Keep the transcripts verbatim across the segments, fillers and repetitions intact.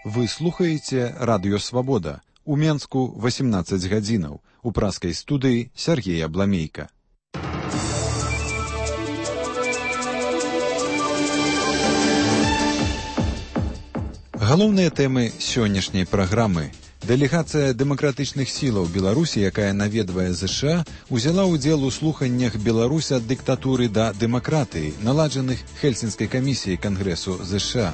Вы слухаеце радыё Свабода. У Менску восемнадцаць гадзінаў. У праскай студыі Сергей Абламейка. Галоўныя тэмы сённяшняй праграмы. Дэлегацыя дэмакратычных сілаў Беларусі, якая наведвае ЗША, узяла ўдзел у слуханнях «Беларусь ад дыктатуры да дэмакратыі», наладжаных Хельсінскай камісіяй Кангрэсу ЗША.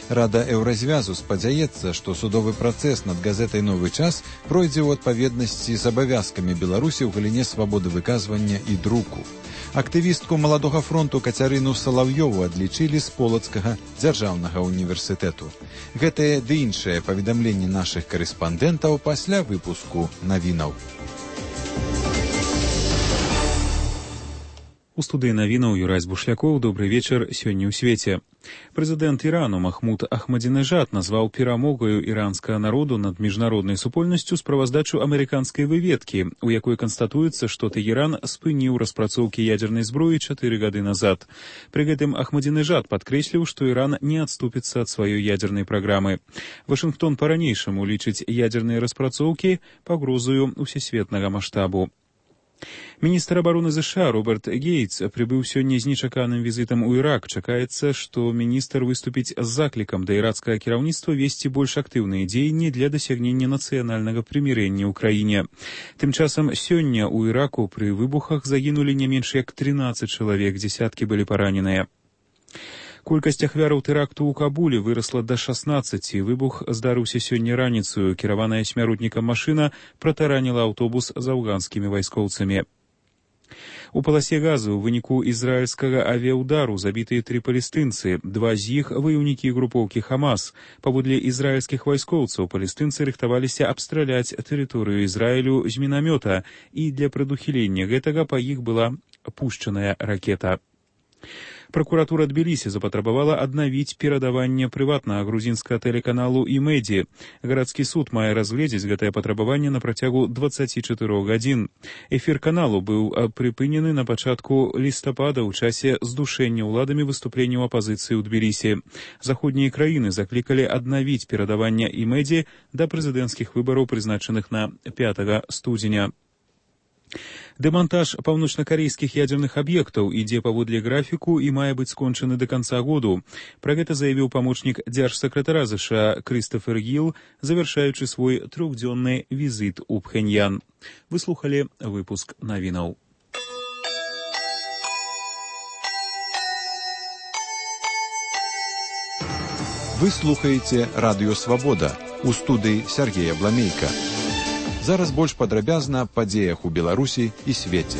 Рада Еўразвязу спадзяецца, што судовы працэс над газетай «Новы час» пройдзе ў адпаведнасці з абавязкамі Беларусі ў галіне свабоды выказвання і друку. Актывістку Маладога фронту Кацярыну Салаўёву адлічылі з Полацкага дзяржаўнага універсітэту. Гэтае ды іншае паведамленні нашых карэспандэнтаў пасля выпуску навінаў. У студыі навінаў Юрай Бушлякоў. Добры вечар. Сёння ў свеце. Прэзідэнт Ірану Махмуд Ахмадзінежад назваў перамогаю іранскага народу над міжнароднай супольнасцю справаздачу амерыканскай выведкі, у якой канстатуецца, што Тэгеран спыніў распрацоўкі ядзернай зброі чатыры гады назад. Пры гэтым Ахмадзінежад падкрэсліў, што Іран не адступіцца ад сваёй ядзернай праграмы. Вашынгтон па-ранейшаму лічыць ядзерныя распрацоўкі пагрозаю усесветнага маштабу. Міністр абароны ЗША Роберт Гейтс прыбыў сёння з нечаканым візітам у Ірак. Чакаецца, што міністр выступіць з заклікам да іракскага кіраўніцтва весці больш актыўныя дзеянні для дасягнення нацыянальнага прымірэння ў краіне. Тым часам сёння ў Іраку пры выбухах загінулі не менш як трынаццаць чалавек, дзесяткі былі параненыя. Колькасць ахвяраў тэракту ў Кабуле вырасла да шаснаццаці. Выбух здарыўся сёння раніцаю. Кіраваная смяротнікам машына пратараніла аўтобус з афганскімі вайскоўцамі. У паласе газу ў выніку ізраільскага авіяўдару забітыя тры палестынцы. Два з іх ваяўнікі групоўкі Хамас. Паводле ізраільскіх вайскоўцаў, палестынцы рыхтаваліся абстраляць тэрыторыю Ізраілю з мінамёта, і для прадухілення гэтага па іх была пушчаная ракета. Пракуратура Тбілісі запатрабавала аднавіць перадаванне прыватнага грузінскага тэлеканалу «Імэдзі». Гарадскі суд мае разгледзець гэтае патрабаванне на працягу дваццаці чатырох гадзін. Эфір каналу быў прыпынены на пачатку лістапада ў часе здушэння ўладамі выступленняў апазіцыі ў Тбілісі. Заходнія краіны заклікалі аднавіць перадаванне «Імэдзі» да прэзідэнцкіх выбараў, прызначаных на пятага студзеня. Дэмантаж паўночнакарэйскіх ядзерных аб'ектаў ідзе паводле графіку і мае быць скончаны да канца году. Пра гэта заявіў памочнік дзяржсакратара ЗША Крыстафер Гіл, завяршаючы свой трохдзённы візіт у Пхеньян. Вы слухалі выпуск навінаў. Вы слухаеце радыё Свабода. У студыі Сергей Абламейка. Зараз больш падрабязна аб падзеях у Беларусі і свеце.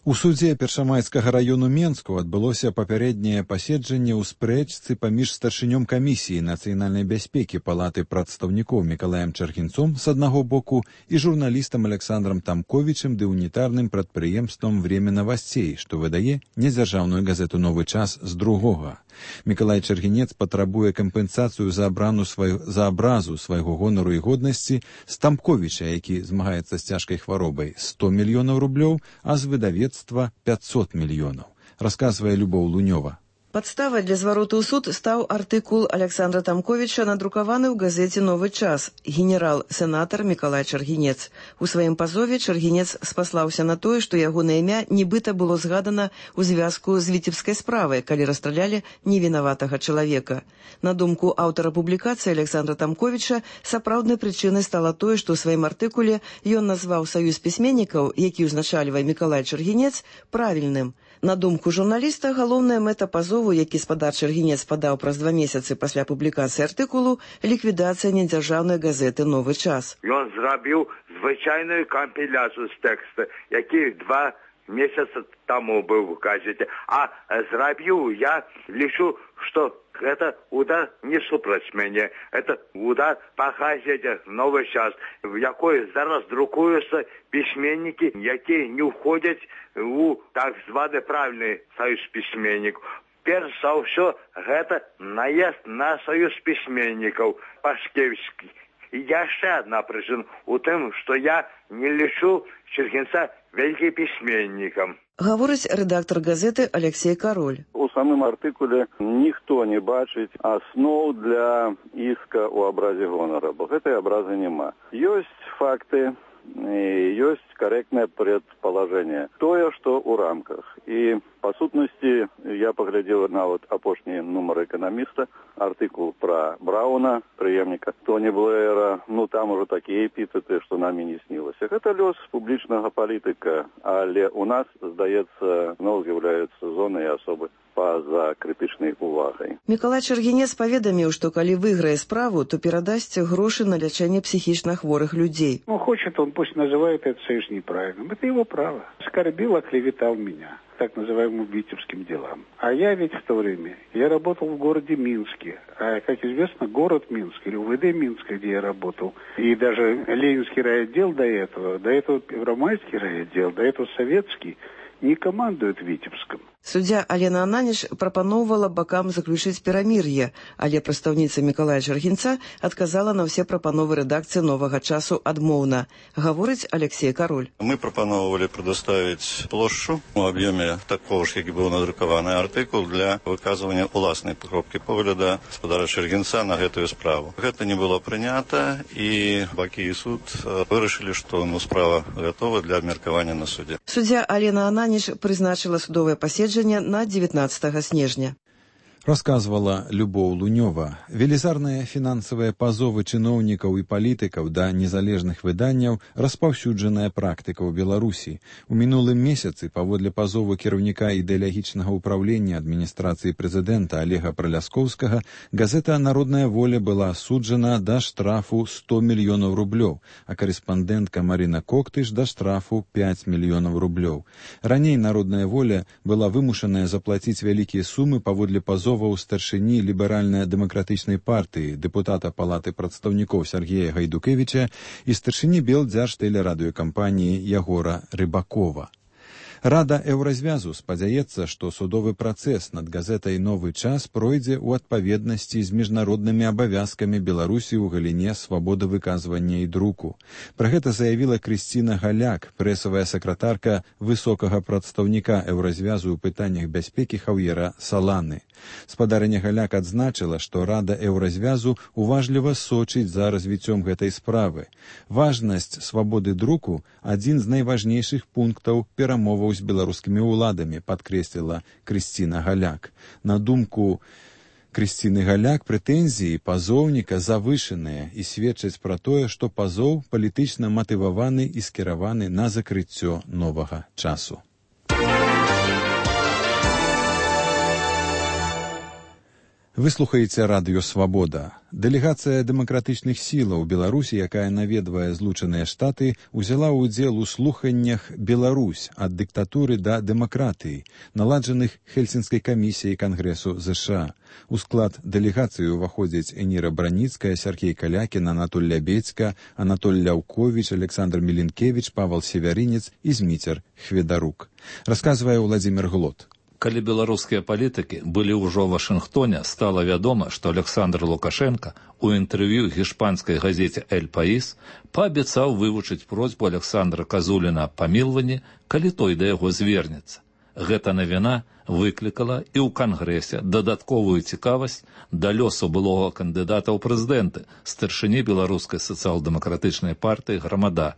У судзе Першамайскага раёну Менску адбылося папярэдняе паседжанне ў спрэчцы паміж старшынём камісіі нацыянальнай бяспекі Палаты прадстаўнікоў Мікалаем Чаргінцом з аднаго боку і журналістам Александрам Тамковічым ды унітарным прадпрыемствам «Время новостей», што выдае недзяржаўную газету «Новы час» з другога. Мікалай Чаргінец патрабуе кампенсацыю за абрану свай... за абразу свайго гонару і годнасці з Тамковіча, які змагаецца з цяжкай хваробай, сто мільёнаў рублёў, а з выдавецтва пятьсот мільёнаў. Расказвае Любоў Лунёва. Падставай для звароту ў суд стаў артыкул Александра Тамковіча, надрукаваны ў газеце «Новы час». Генерал-сенатар Мікалай Чаргінец. У сваім пазове Чаргінец спаслаўся на тое, што ягонае імя нібыта было згадана ў звязку з віцебскай справай, калі расстралялі невінаватага чалавека. На думку аўтара публікацыі Александра Тамковіча, сапраўднай прычынай стала тое, што ў сваім артыкуле ён назваў саюз пісьменнікаў, які ўзначальвае Мікалай Чаргінец, правільным. На думку журналіста, галоўная мэта пазову, які спадар Чаргінец падаў праз два месяцы пасля публікацыі артыкулу, ліквідацыя недзяржаўнай газеты «Новы час». Ён зрабіў звычайную кампіляцыю з тэкста, які два месяцы таму быў у газеце. А зрабіў я, лічу, што гэта удар не супраць мяне. Это удар па газеце «Новы час», в якой зараз друкуюцца пісьменнікі, якія не ўходзяць у так званы правільны саюз пісьменнікаў. Перш за ўсё, гэта наезд на саюз пісьменнікаў Пашкевскі. І яшчэ адна прычына у тым, што я не лічу Чаргінца вялікім пісьменнікам. Гаворыць рэдактар газеты Алексей Кароль. У самым артыкуле ніхто не бачыць асноў для іска ў абразе гонара, бо гэтай абразы няма. Ёсць факты, ёсць карэктнае прадпалажэнне. Тое, што ў рамках. І, па сутнасці, я паглядзеў нават апошні нумар эканаміста, артыкул пра Брауна, прыемніка Тоні Блэйра. Ну, там ужо такія эпітэты, што намі не снілася. Гэта лёс публічнага палітыка, але ў нас, здаецца, зноў з'яўляюцца зоны і асобы па-за крытычнай увагай. Мікалай Чаргінец паведаміў, што калі выйграе справу, то перадасць грошы на лячэнне психично хворых людей. Ну, хочет он, пусть называет это совершенно неправильным. Это его право. Оскорбил, оклеветал меня так называемым витебским делам. А я ведь в то время, я работал в городе Минске. А, как известно, город Минск, или УВД Минск, где я работал, и даже Ленинский райотдел до этого, до этого Первомайский райотдел, до этого Советский, не командуют Витебском. Суддзя Алена Ананіч прапаноўвала бакам заключыць перамір'е, але прадстаўніца Мікалая Чаргінца адказала на ўсе прапановы рэдакцыі «Новага часу» адмоўна. Гаворыць Алексей Кароль. Мы прапановывали предоставить плошчу у аб'ёме такого ж, як і быў надрукаваны артыкул для выказвання ўласнай кропкі погляда гаспадара Чаргінца на гэтую справу. Гэта не было прынята, і бакі і суд вырашылі, што ну, справа гатова для абмеркавання на судзе. Суддзя Алена Ананіч прызначыла судовае паседжанне на девятнадцатого снежня. Расказвала Любоў Лунёва. Велізарныя фінансавыя пазовы чыноўнікаў і палітыкаў да незалежных выданняў распаўсюджаная практыка ў Беларусі. У мінулым месяцы, паводле пазову кіраўніка ідэалагічнага ўпраўлення адміністрацыі прэзідэнта Олега Праляскоўскага, газета «Народная воля» была асуджана да штрафу сто мільёнаў рублёў, а карэспандэнтка Марына Коктыш да штрафу пяць мільёнаў рублёў. Раней «Народная воля» была вымушаная заплаціць вялікія сумы паводле пазову у старшыні ліберальна-дэмакратычнай партыі, дэпутата Палаты прадстаўнікоў Сергея Гайдукевіча і старшыні Белдзяржтэлерадыёкампаніі Ягора Рыбакова. Рада Еўразвязу спадзяецца, што судовы працэс над газетай «Новы час» пройдзе ў адпаведнасці з міжнароднымі абавязкамі Беларусі ў галіне свабоды выказвання і друку. Пра гэта заявіла Крысціна Галяк, прэсавая сакратарка высокага прадстаўніка Еўразвязу ў пытаннях бяспекі Хаўера Саланы. Спадарыня Галяк адзначыла, што Рада Еўразвязу уважліва сочыць за развіццём гэтай справы. Важнасць свабоды друку – адзін з найважнейшых пунктаў перамоваў з беларускімі ўладамі, падкрэсліла Крысціна Галяк. На думку Крысціны Галяк, прэтэнзіі пазоўніка завышаныя і сведчаць пра тое, што пазоў палітычна матываваны і скіраваны на закрыццё новага часу. Вы слухаеце радыё «Свабода». Дэлегацыя дэмакратычных сілаў Беларусі, якая наведвае Злучаныя Штаты, узяла ўдзел у слуханнях «Беларусь ад дыктатуры да дэмакратыі», наладжаных Хельсінскай камісіяй Кангрэсу ЗША. У склад дэлегацыі ўваходзяць Эніра Браніцкая, Сяргей Калякін, Анатоль Лябедзька, Анатоль Ляўковіч, Александр Міленкевіч, Павел Севярінец і Зміцер Хведарук. Расказвае Владзімір Глот. Калі беларускія палітыкі былі ўжо ў Вашынгтоне, стала вядома, што Александр Лукашенко у інтэрв'ю гішпанскай газеце «Эль Паís» паабяцаў вывучыць просьбу Александра Казуліна аб памілванні, калі той да яго звернецца. Гэта навіна выклікала і ў Кангрэсе дадатковую цікавасць да лёсу былога кандыдата ў прэзідэнты, старшыні беларускай сацыял-дэмакратычнай партыі «Грамада».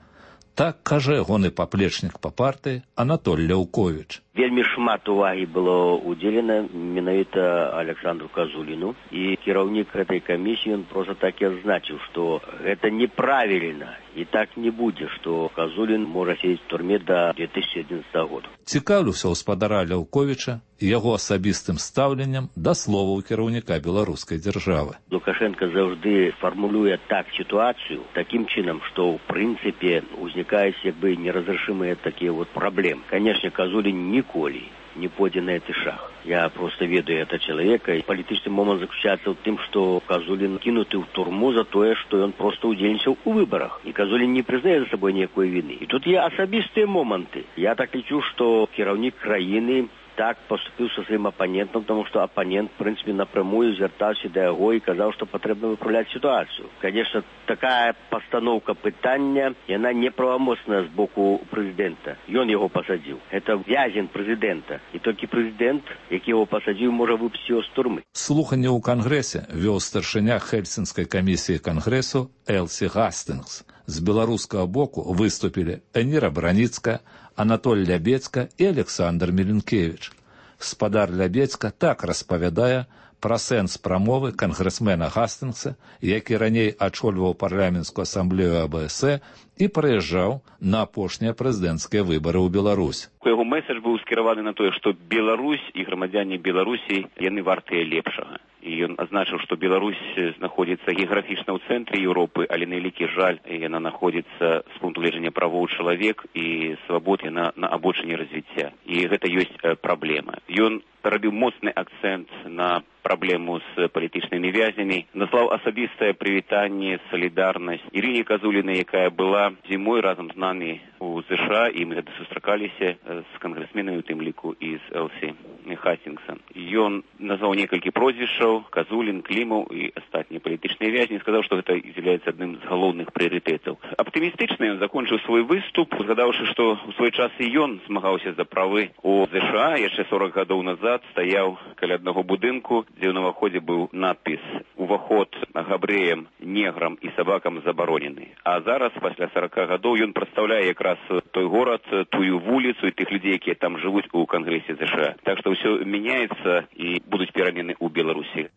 Так кажа ягоны паплечнік па партыі Анатоль Ляўковіч. Вельмі шмат увагі было удзелена менавіта Александру Казуліну, і кіраўнік гэтай камісіі ён проста так і адзначыў, што гэта неправільна і так не будзе, што Казулін можа сидзець у турме да две тысячи одиннадцатого года. Цікаўлюся ў спадара Ляўковіча і яго асабістым стаўленнем да словаў кіраўніка беларускай дзяржавы. Лукашенко заўжды фармулюе так сітуацыю такім чынам, што ў прынцыпе узнікаюць як бы неразрешимыя такія вот праблемы. Конечно, Казулін ніколі не пойдзе на гэты шаг. Я просто ведаю этого человека. И политический момент заключается в том, что Казулин кинуты в турму за то, что он просто удзельнічаў у выборах. И Казулин не признает за собой никакой вины. И тут есть особистые моменты. Я так лечу, что кіраўнік краіны так поступил со своим оппонентом, потому что оппонент, в принципе, напрямую звертался до его и сказал, что потребно выправлять ситуацию. Конечно, такая постановка питания, и она неправомочна с боку президента. И он его посадил. Это вязень президента. И только президент, який его посадил, может выпустить его с тюрьмы. Слухання ў Кангрэсе вёў старшыня Хельсінскай камісіі Кангрэсу Элсі Гастынгс. З беларускага боку выступілі Эніра Браніцкая, Анатоль Лябецька і Александр Меленкевич. Спадар Лябецька так распавядае пра сэнс прамовы кангрэсмена Гастынгса, які раней ачольваў парламенцкую асамблею А Б С Э і прыязджаў на апошнія прэзідэнцкія выбары ў Беларусь. Яго месседж быў скіраваны на тое, што Беларусь і грамадзяне Беларусі яны вартыя лепшага. І ён азначыў, што Беларусь знаходзіцца геаграфічна ў цэнтры Еўропы, але на вялікі жаль, яна знаходзіцца з пункту гледжання правоў чалавек і свабод яна на абочыне развіцця. І гэта ёсць праблема. Ён рабіў моцны акцэнт на праблему з палітычнымі вязнямі, назваў асабістае прывітанне, салідарнасць Ірыне Казулінай, якая была зімой разам з намі у США, і мы гэта сустракаліся з кангрэсменамі, у тым ліку і з Элсі Гастынгсом. Ён назваў некалькі прозвішчаў, Казулін, Клімаў і астатнія палітычныя вязні, сказаў, што гэта з'яўляецца адным з галоўных прыярытэтаў. Аптымістычна ён закончыў свой выступ, згадаўшы, што ў свой час і ён змагаўся за правы у США, яшчэ сорок гадоў назад стаяў каля аднаго будынку, дзе ў наваходзе быў надпіс «Уваход габрэям, неграм і сабакам забаронены». А зараз, пасля сорока гадоў, ён прадстаўляе якраз той горад, тую вуліцу і тых людзей, якія там жывуць у Кангрэсе США. Так што ўсё мяняецца і будуць перамены ў Беларусі.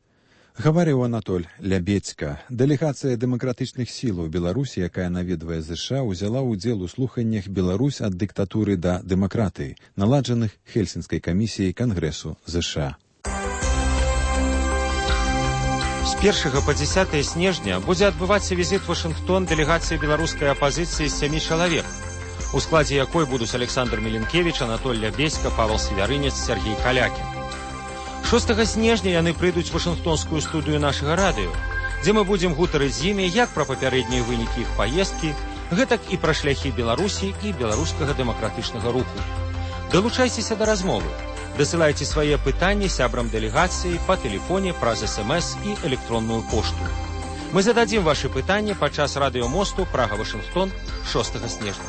Гаварыў Анатоль Лябецька. Дэлегацыя дэмакратычных сілаў Беларусі, якая наведвае ЗША, узяла ўдзел у слуханнях «Беларусь ад дыктатуры да дэмакратыі», наладжаных Хельсінскай камісіяй Кангрэсу ЗША. З першага па дзесятае снежня будзе адбывацца візіт у Вашынгтон дэлегацыі беларускай апазіцыі з сямі чалавек, у складзе якой будуць Александр Меленкевич, Анатоль Лябецька, Павел Свяврынец, Сергей Калякін. шостага снежня яны прыйдуць у Вашынгтонскую студыю нашага радыё, дзе мы будзем гутарыць з імі як пра папярэднія вынікі іх паездкі, гэтак і пра шляхі Беларусі і беларускага дэмакратычнага руху. Далучайцеся да размовы. Дасылайце свае пытанні сябрам дэлегацыі па тэлефоне праз эс эм эс і электронную пошту. Мы зададзім вашы пытанні падчас радыёмосту Прага-Вашынгтон шостага снежня.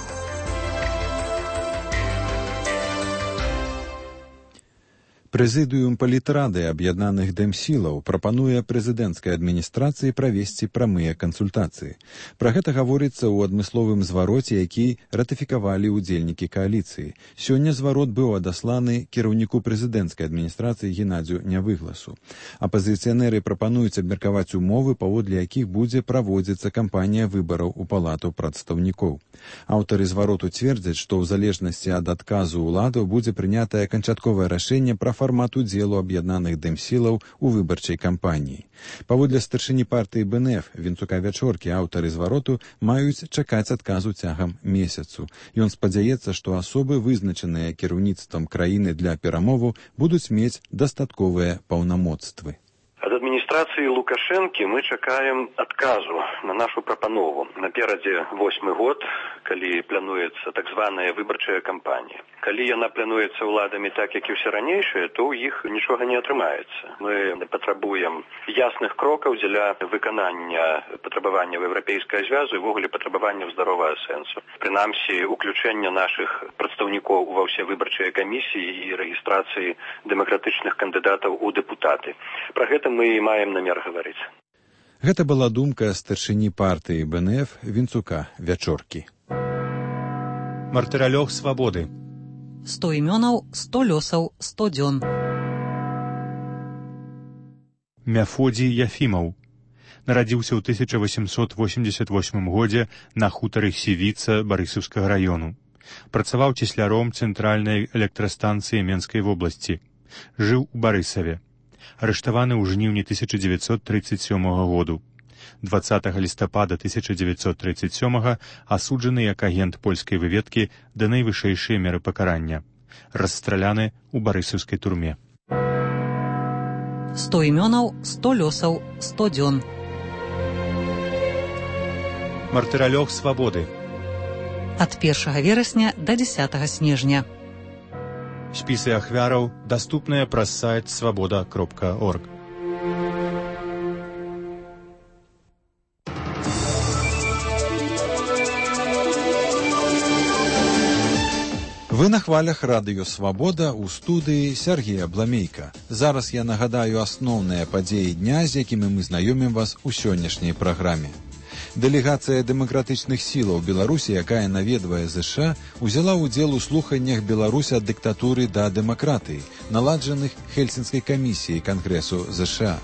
Прэзідыум палітрады аб'яднаных дэмсілаў прапануе прэзідэнцкай адміністрацыі правесці прамыя кансультацыі. Пра гэта гаворыцца ў адмысловым звароце, які ратыфікавалі ўдзельнікі кааліцыі. Сёння зварот быў адасланы кіраўніку прэзідэнцкай адміністрацыі Геннадзю Нявыгласу. Апазіцыянеры прапануюць абмеркаваць умовы, паводле якіх будзе праводзіцца кампанія выбараў у палату прадстаўнікоў. Аўтары звароту цвердзяць, што ў залежнасці ад адказу ўладаў будзе прынятае канчатковае рашэнне пра фармат удзелу аб'яднаных дэмсілаў у выбарчай кампаніі. Паводле старшыні партыі Бэ Эн Эф Вінцука Вячоркі, аўтары звароту маюць чакаць адказу цягам месяцу. Ён спадзяецца, што асобы, вызначаныя кіраўніцтвам краіны для перамоваў, будуць мець дастатковыя паўнамоцтвы. Ад адміністрацыі Лукашэнкі мы чакаем адказу на нашу прапанову. Наперадзе восьмы год, калі плануецца так званая выбарчая кампанія. Калі яна плануецца ўладамі так, як і ўсе ранейшыя, то ў іх нічога не атрымаецца. Мы патрабуем ясных крокаў дзеля выканання патрабаванняў еўрапейскага звязу і ввогуле патрабаванняў здаровага сэнсу. Прынамсі, уключэння нашых прадстаўнікоў ва ўсе выбарчыя камісіі і рэгістрацыі дэмакратычных кандыдатаў у дэпутаты. Пра гэта мы і маем намер гаварыць. Гэта была думка старшыні партыі Бэ Эн Эф Вінцука Вячоркі. Мартыралёг свабоды. сто імёнаў, сто лёсаў, сто дзён. Мяфодзій Яфімаў. Нарадзіўся ў тысяча восемьсот восемьдесят восьмым годзе на хутары Сівіца Барысаўскага раёну. Працаваў цесляром цэнтральнай электрастанцыі Менскай вобласці. Жыў у Барысаве. Арыштаваны ў жніўні тысяча дзевяцьсот трыццаць сёмага году. дваццатага лістапада тысяча дзевяцьсот трыццаць сёмага асуджаны як агент польскай выведкі да найвышэйшай меры пакарання. Расстраляны ў барысаўскай турме. сто імёнаў, сто лёсаў, сто дзён. Мартыралёг свабоды. Ад першага верасня да дзесятага снежня. Спісы ахвяраў даступныя праз сайт свабода кропка орг. Вы на хвалях радыё «Свабода» ў студыі Сергея Бламейка. Зараз я нагадаю асноўныя падзеі дня, з якімі мы знаёмім вас у сённяшняй праграме. Дэлегацыя дэмакратычных сілаў Беларусі, якая наведвае ЗША, узяла ўдзел у слуханнях «Беларусь ад дыктатуры да дэмакратыі», наладжаных Хельсінскай камісіяй Кангрэсу ЗША.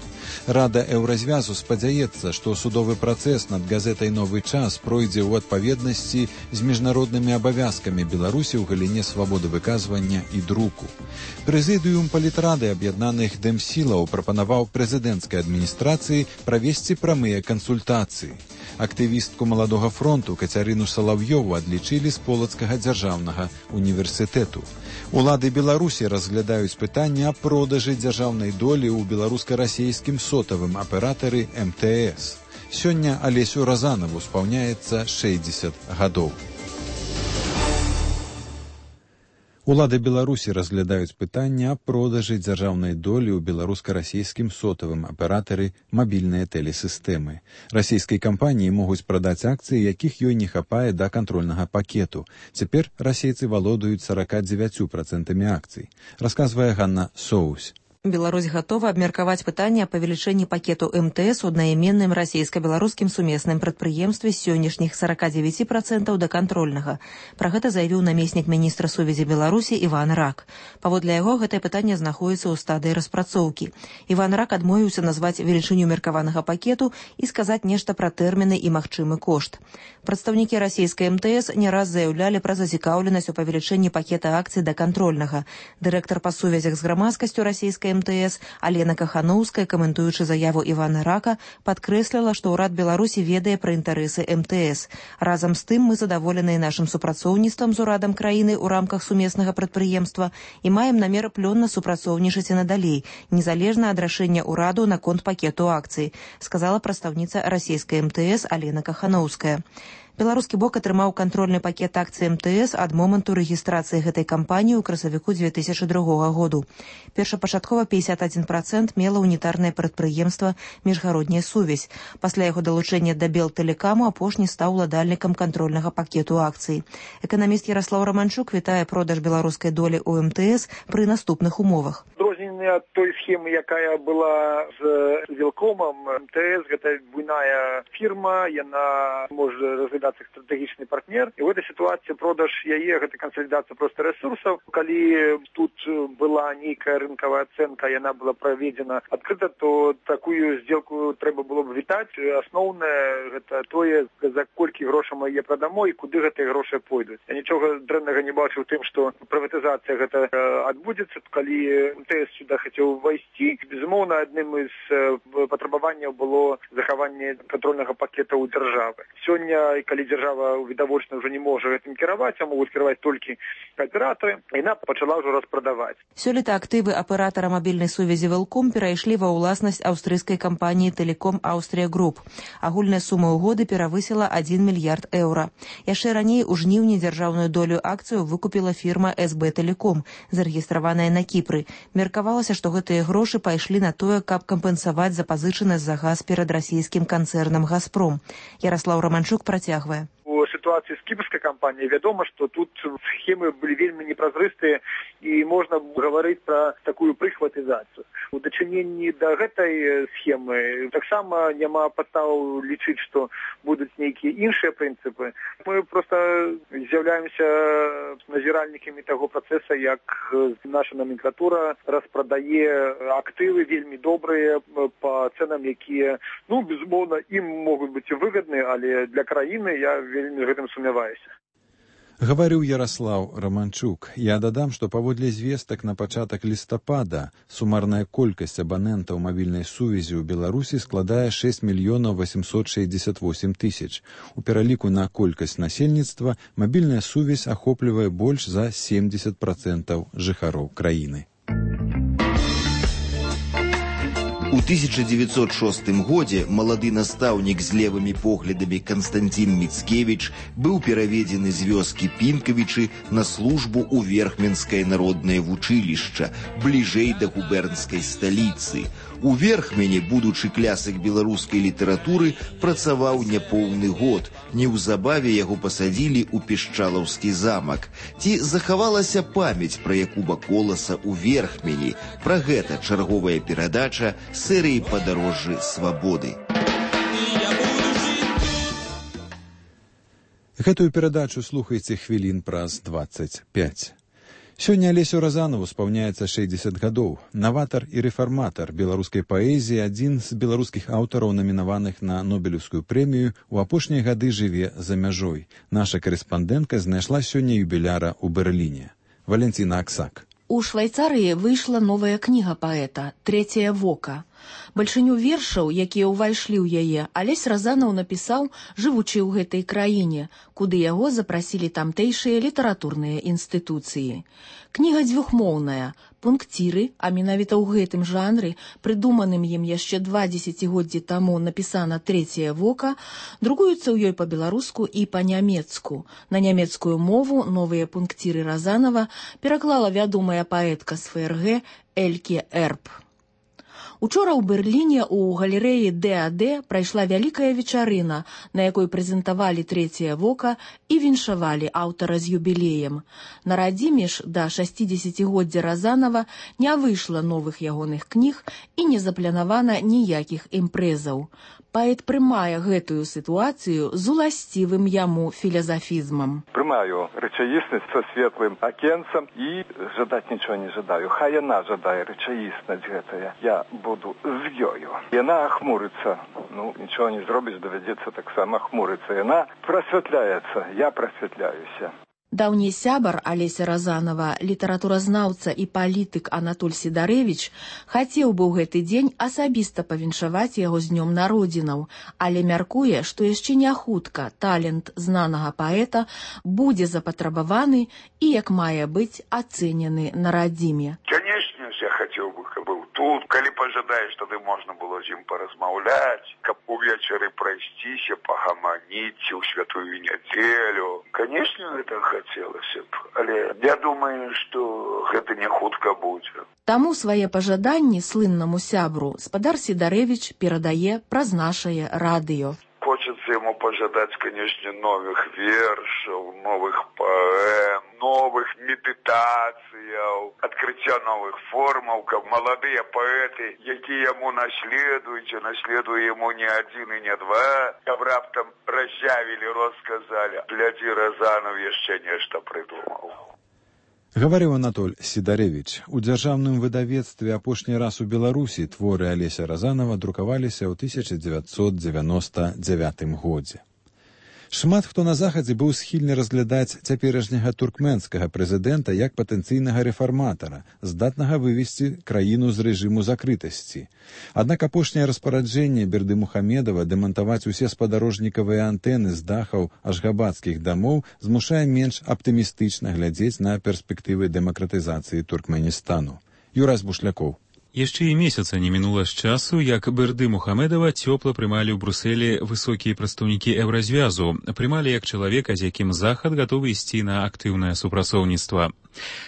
Рада Еўразвязу спадзяецца, што судовы працэс над газетай «Новы час» пройдзе ў адпаведнасці з міжнароднымі абавязкамі Беларусі ў галіне свабоды выказвання і друку. Прэзідыум палітрады аб'яднаных дэмсілаў прапанаваў прэзідэнцкай адміністрацыі правесці прамыя кансультацыі. Актывістку Маладога фронту Кацярыну Салаўёву адлічылі з Полацкага дзяржаўнага універсітэту. Улады Беларусі разглядаюць пытанне аб продажы дзяржаўнай долі ў беларуска-расейскім сотавым аператары эм тэ эс. Сёння Алесю Разанаву спаўняецца шэсцьдзесят гадоў. Улады Беларусі разглядаюць пытанне аб продажы дзяржаўнай долі ў беларуска-расейскім сотавым аператары мабільныя тэлесістэмы. Расійскай кампаніі могуць прадаць акцыі, якіх ёй не хапае да кантрольнага пакету. Цяпер расейцы валодаюць сорок девять процентов акцый. Расказвае Ганна Соусь. Беларусь готова абмеркаваць пытанне о павелічэнні пакету эм тэ эс у аднайменным расійска-беларускім сумесным прадпрыемстве з сённяшніх сорок девять процентов да кантрольнага. Пра гэта заявіў намеснік міністра сувязі Беларусі Іван Рак. Паводле яго, гэтае пытанне знаходзіцца ў стадыі распрацоўкі. Іван Рак адмовіўся назваць велічыню меркаванага пакету і сказаць нешта пра тэрміны і магчымы кошт. Прадстаўнікі расійскай эм тэ эс не раз заяўлялі пра зацікаўленасць у павелічэнні пакета акцый да кантрольнага. Дырэктар па сувязях з грамадскасцю расійскай эм тэ эс Алена Кахановская, каментуючы заяву Івана Рака, падкрэсліла, што ўрад Беларусі ведае пра інтарэсы эм тэ эс. Разам з тым мы задаволеныя нашым супрацоўніцтвам з урадам краіны ў рамках сумеснага прадпрыемства і маем намер плённа супрацоўнічаць і надалей, незалежна ад рашэння ўраду наконт пакету акцый, сказала прадстаўніца расійскай эм тэ эс Алена Кахановская. Беларускі бок атрымаў кантрольны пакет акцый эм тэ эс ад моманту рэгістрацыі гэтай кампаніі ў красавіку две тысячи другога году. Першапачаткова пятьдесят один процент мела унітарнае прадпрыемства «Міжгародняя сувязь». Пасля яго далучэння да Белтэлекаму апошні стаў уладальнікам кантрольнага пакету акцый. Эканаміст Ярослаў Романчук вітае продаж беларускай долі ў эм тэ эс пры наступных умовах. Адрозненне ад той схемы, якая была з Велкомом, эм тэ эс гэта буйная фірма, яна можа разглядаць стратэгічны партнер. І ў этой сітуацыі продаж яе гэта кансалідацыя проста рэсурсаў. Калі тут была нейкая рынкавая ацэнка, яна была праведзена адкрыта, то такую здзелку трэба было б вітаць. Асноўнае гэта тое, за колькі грошай мы яе прадамо і куды гэтыя грошы пойдуць. Я нічога дрэннага не бачу ў тым, што прыватызацыя гэта адбудзецца, калі эм тэ эс сюда хацеў увайсці. Безумоўна, адным з патрабаванняў было захаванне кантрольнага пакета ў дзяржавы. Сёння, калі дзяржава відавочна ўжо не можа гэтым кіраваць, а могуць кіраваць толькі аператары, яна пачала ўжо распрадаваць. Сёлета актывы аператара мабільнай сувязі Велком перайшлі ва ўласнасць аўстрыйскай кампаніі Телеком Аўстрія Груп. Агульная сума угоды перавысіла один мільярд еўра. Яшчэ раней у жніўні дзяржаўную долю акцыю выкупіла фірма эс бэ Телеком, зарэгістраваная на Кіпры. Меркавалася, што гэтыя грошы пайшлі на тое, каб кампенсаваць запазычанасць за газ перад расійскім канцэрнам «Газпром». Ярослаў Романчук працягвае. У сітуацыі з кіпрскай кампаніяй вядома, што тут схемы былі вельмі непразрыстыя і можна гаварыць пра такую прыхватызацыю. У дачыненні да гэтай схемы таксама няма падстаў лічыць, што будуць нейкія іншыя прынцыпы. Мы проста з'яўляемся назіральнікамі таго працэса, як наша номенклатура распрадае актывы вельмі добрыя па цэнам, якія, ну, безумоўна, ім могуць быць выгадныя, але для краіны я вельмі гэтым сумняваюся. Гаварыў Ярослаў Романчук. Я дадам, што паводле звестак на пачатак лістапада сумарная колькасць абанентаў мабільнай сувязі ў Беларусі складае шесть мільёнаў восемьсот шестьдесят восемь тысяч. У пераліку на колькасць насельніцтва мабільная сувязь ахоплівае больш за семьдесят процентов жыхароў краіны. У тысяча девятьсот шостым годзе малады настаўнік з левымі поглядамі Канстантин Мицкевич быў пераведзены з вёскі Пінкавічы на службу ў Верхменскае народнае вучылішча, бліжэй да губернскай сталіцы. У Верхмене, будучы клясык беларускай літаратуры, працаваў няпоўны год. Неўзабаве яго пасадзілі ў Пішчалаўскі замак. Ці захавалася памяць пра Якуба Коласа ў Верхмені? Пра гэта чарговая перадача серыі «Падарожжы свабоды». Гэтую перадачу слухайце хвілін праз дваццаць пяць. Сёння Алесю Разанову спаўняецца шэсцьдзесят гадоў. Наватар і рэфарматар беларускай паэзіі, адзін з беларускіх аўтараў, намінаваных на Нобелеўскую прэмію, у апошнія гады жыве за мяжой. Наша карэспандэнтка знайшла сёння юбіляра ў Берліне. Валентина Аксак. У Швайцарыі выйшла новая кніга паэта «Трэцяе вока». Бальшыню вершаў, якія ўвайшлі ў яе, Алесь Разанаў напісаў, жывучы ў гэтай краіне, куды яго запрасілі тамтэйшыя літаратурныя інстытуцыі. Кніга дзвюхмоўная, пункціры, а менавіта ў гэтым жанры, прыдуманым ім яшчэ два дзесяцігоддзі таму напісана «Трэцяе вока», друкуюцца ў ёй па-беларуску і па-нямецку. На нямецкую мову новыя пункціры Разанава пераклала вядомая паэтка з ФРГ Эльке Эрб. Учора ў Берліне ў галерэі Д А Д прайшла вялікая вечарына, на якой прэзентавалі «Трэцяе вока» і віншавалі аўтара з юбілеем. На радзіме ж да шасцідзесяцігоддзя Разанава не выйшла новых ягоных кніг і не запланавана ніякіх імпрэзаў. Паэт прымае гэтую сітуацыю з уласцівым яму філазафізмам. Прымаю рэчаіснасць са светлым акенцам і жадаць нічого не жадаю. Хай яна жадае рэчаіснасць гэтая. Я буду з ёю. Яна ахмурыцца. Ну, нічого не зробіць, давядзецца таксама ахмурыцца. Яна прасвятляецца. Я прасвятляюся. Даўні сябар Алеся Разанова, літаратуразнаўца і палітык Анатоль Сідарэвіч, хацеў бы ў гэты дзень асабіста павіншаваць яго з днём народзінаў, але мяркуе, што яшчэ не хутка талент знанага паэта будзе запатрабаваны і, як мае быць, ацэнены на радзіме. Конечно, я хацеў бы, каб быў тут, калі пажадаеш, тады можна было з ім паразмаўляць, каб увечары прайсціся, пагаманіць у святую нядзелю. Конечно, это хацелася б, але я думаю, што гэта не хутка будзе. Таму свае пажаданні слыннаму сябру спадар Сідарэвіч перадае праз нашае радыё. Хочется ему пожадать, конечно, новых вершаў, новых поэм, новых медитаций, открытия новых формаў, каб маладыя паэты, якія яму наследуюць, а наследуе ему не один и не два, каб раптам разъявили, рассказали. Гляди, Разанов яшчэ нешта придумал. Гаварыў Анатоль Сідарэвіч. У дзяржаўным выдавецтве апошні раз у Беларусі творы Алеся Разанова друкаваліся ў тысяча дзевяцьсот дзевяноста дзявятым годзе. Шмат хто на захадзе быў схільны разглядаць цяперашняга туркменскага прэзідэнта як патэнцыйнага рэфарматара, здатнага вывесці краіну з рэжыму закрытасці. Аднак апошняе распараджэнне Бердымухамедова дэмантаваць усе спадарожнікавыя антэны з дахаў ашгабадскіх дамоў змушае менш аптымістычна глядзець на перспектывы дэмакратызацыі Туркменістану. Юрась Бушлякоў. Яшчэ і месяца не мінула з часу, як Бердымухамедова цёпла прымалі ў Брусэлі высокія прадстаўнікі еўразвязу, прымалі як чалавека, з якім захад гатовы ісці на актыўнае супрацоўніцтва.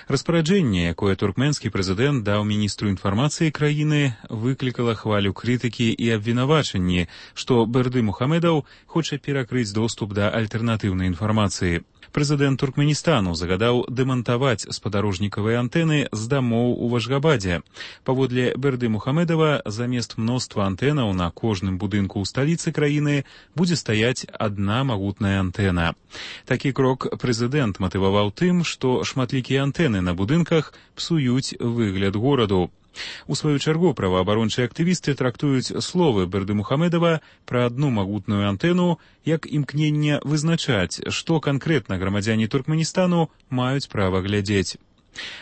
Распараджэнне, якое туркменскі прэзідэнт даў міністру інфармацыі краіны, выклікала хвалю крытыкі і абвінавачанні, што Бердымухамедаў хоча перакрыць доступ да альтэрнатыўнай інфармацыі. Прэзідэнт Туркменістану загадаў дэмантаваць спадарожнікавыя антэны з дамоў у Ашгабадзе. Паводле Бердымухамедова, замест мноства антэнаў на кожным будынку ў сталіцы краіны будзе стаяць адна магутная антэна. Такі крок прэзідэнт матываваў тым, што шматлікія антэны на будынках псуюць выгляд гораду. У сваю чаргу праваабарончыя актывісты трактуюць словы Бердымухамедова пра адну магутную антэну як імкненне вызначаць, што канкрэтна грамадзяне Туркменістану маюць права глядзець.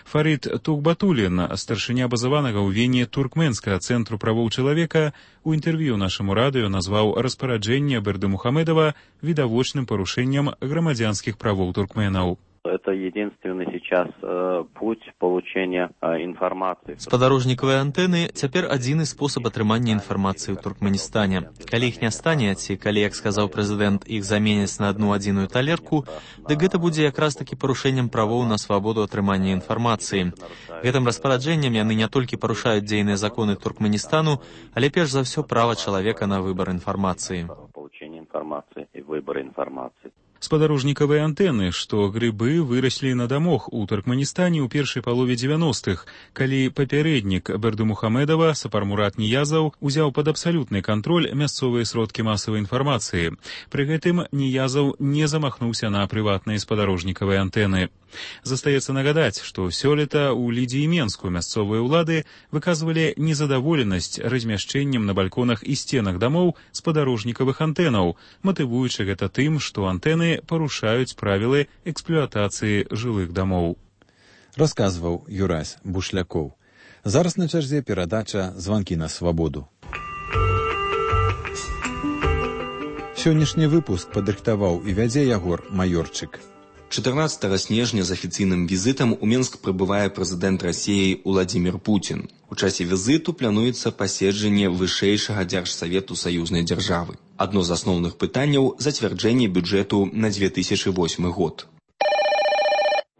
Фарид Тухбатулин, старшыня базаванага ў Вене туркменскага цэнтру правоў чалавека, у інтэрв'ю нашаму радыё назваў распараджэнне Бердымухамедова відавочным парушэннем грамадзянскіх правоў туркменаў. Это единственный сейчас э, путь получения э, информации. Спадарожнікавыя антэны цяпер адзіны спосаб атрымання інфармацыі ў Туркменістане. Калі іх не стане, ці калі, як сказаў прэзідэнт, іх заменяць на одну адзіную талерку, дык гэта будзе якраз такі парушэннем правоў на свабоду атрымання інфармацыі. Гэтым распараджэннем яны не толькі парушаюць дзейныя законы Туркменістану, але перш за ўсё права чалавека на выбар інфармацыі. Получение информации и выбор информации. Спадарожнікавыя антэны, што грыбы выраслі на дамах у Туркменістане ў першай палове дзевяностых, калі папярэднік Бердымухамедова Сапармурат Ниязаў узяў пад абсалютны кантроль мясцовыя сродкі масавай інфармацыі. Пры гэтым Ниязаў не замахнуўся на прыватныя спадарожнікавыя антэны. Застаецца нагадаць, што сёлета ў Лідзі і Менску мясцовыя ўлады выказвалі незадаволенасць размяшчэннем на балконах і сценах дамоў спадарожнікавых антэнаў, матывуючы гэта тым, што антэны парушаюць правілы эксплуатацыі жылых дамоў. Расказваў Юрась Бушлякоў. Зараз на чарзе перадача «Званкі на свабоду». Сённяшні выпуск падрыхтаваў і вядзе Ягор Маёрчык. чатырнаццатага снежня з афіцыйным візітам у Менск прыбывае прэзідэнт Расіі Уладзімір Пуцін. У часе візіту плануецца паседжанне вышэйшага дзяржсавету саюзнай дзяржавы. Адно з асноўных пытанняў – зацвярджэнне бюджэту на две тысячи восьмы год.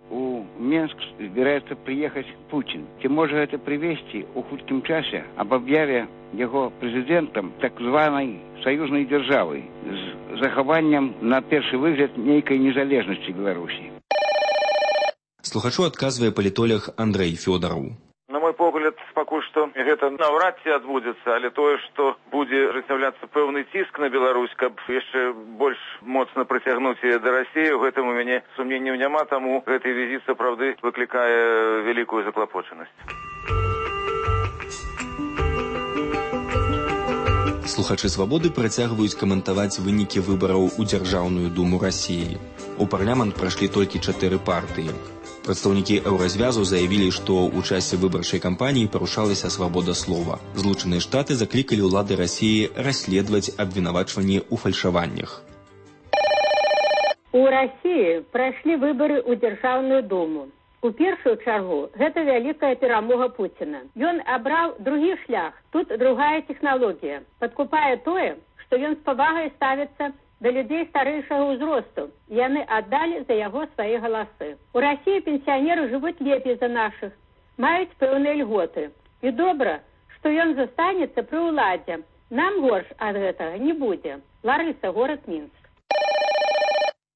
У Менск збіраецца прыехаць Пуцін. Ці можа гэта прывесці ў хуткім часе аб аб'яве яго прэзідэнтам так званай саюзнай дзяржавы з захаваннем на першы выгляд нейкай незалежнасці Беларусі. Слухачу адказвае палітолог Андрэй Фёдараў. На мой погляд, пакуль што гэта наўрад ці адбудзецца, але тое, што будзе ажыццяўляцца пэўны ціск на Беларусь, каб яшчэ больш моцна прыцягнуць яе да Расіі, у гэтым у мяне сумненняў няма, таму гэты візіт сапраўды выклікае вялікую заклапочанасць. Слухачы «Свабоды» працягваюць каментаваць вынікі выбараў у Дзяржаўную думу Расіі. У парламент прайшлі толькі чатыры партыі. Прадстаўнікі еўразвязу заявілі, што ў часе выбарчай кампаніі парушалася свабода слова. Злучаныя Штаты заклікалі ўлады Расіі расследаваць абвінавачванні ў фальшаваннях. У Расіі прайшлі выбары ў Дзяржаўную думу. У першую чаргу гэта вялікая перамога Пуціна. Ён абраў другі шлях. Тут другая тэхналогія. Падкупае тое, што ён з павагай ставіцца да людзей старэйшага ўзросту. Яны аддалі за яго свае галасы. У Расіі пенсіянеры жывуць лепей за нашых, маюць пэўныя льготы. І добра, што ён застанецца пры ўладзе. Нам горш ад гэтага не будзе. Ларыса, город Минск.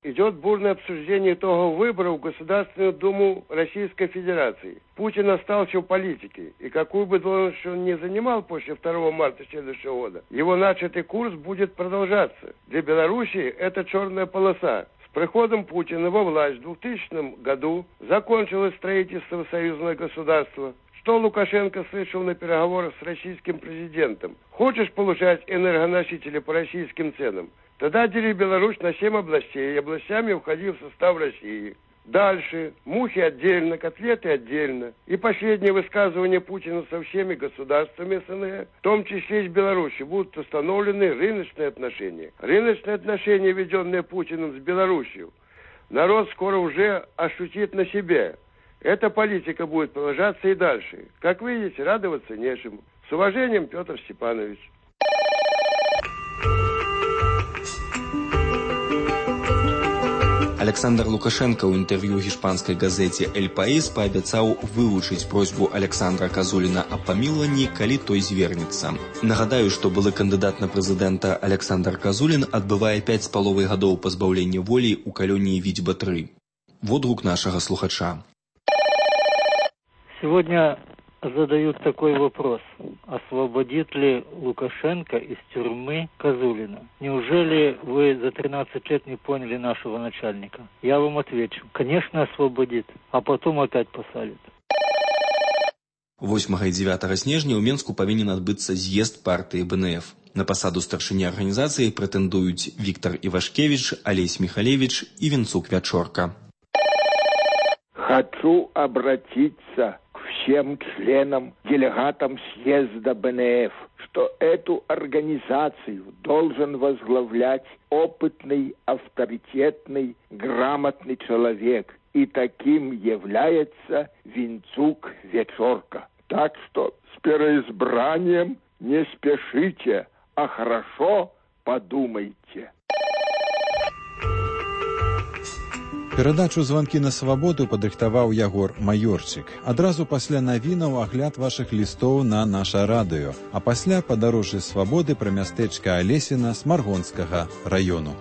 Идет бурное обсуждение итогов выборов в Государственную Думу Российской Федерации. Путин остался в политике, и какую бы должность он ни занимал после второго марта следующего года, его начатый курс будет продолжаться. Для Белоруссии это черная полоса. С приходом Путина во власть в двухтысячном году закончилось строительство союзного государства. Что Лукашенко слышал на переговорах с российским президентом? Хочешь получать энергоносители по российским ценам? Тогда дели Беларусь на семь областей, и областями входи в состав России. Дальше. Мухи отдельно, котлеты отдельно. И последнее высказывание Путина со всеми государствами СНГ, в том числе и с Беларусью, будут установлены рыночные отношения. Рыночные отношения, введенные Путиным с Беларусью, народ скоро уже ощутит на себе. Эта политика будет продолжаться и дальше. Как видите, радоваться нечему. С уважением, Петр Степанович. Александр Лукашенко ў інтэрв'ю гішпанскай газеце «Эль Паís» паабяцаў вывучыць просьбу Александра Казуліна аб памілаванні, калі той звернецца. Нагадаю, што былы кандыдат на прэзідэнта Александр Казулін адбывае пяць з паловай гадоў пазбаўлення волі ў калоніі Вітьба тры. Водгук нашага слухача. Сегодня задают такой вопрос. Освободит ли Лукашенко из тюрьмы Казулина? Неужели вы за тринадцать лет не поняли нашего начальника? Я вам отвечу. Конечно, освободит, а потом опять посадит. восьмага і дзевятага снежня ў Менску павінен адбыцца з'езд партыі бэ эн эф. На пасаду старшыні арганізацыі прэтэндуюць Віктор Івашкевіч, Алесь Михалевич и Венцук Вячорка. Хочу обратиться всем членам, делегатам съезда бэ эн эф, что эту организацию должен возглавлять опытный, авторитетный, грамотный человек, И таким является Винцук Вечорка. Так что с переизбранием не спешите, а хорошо подумайте. Перадачу «Званкі на свабоду» падрыхтаваў Ягор Маёрчык. Адразу пасля навінаў агляд вашых лістоў на наша радыё, а пасля падарожжа свабоды пра мястэчка Алесіна з Маргонскага раёну.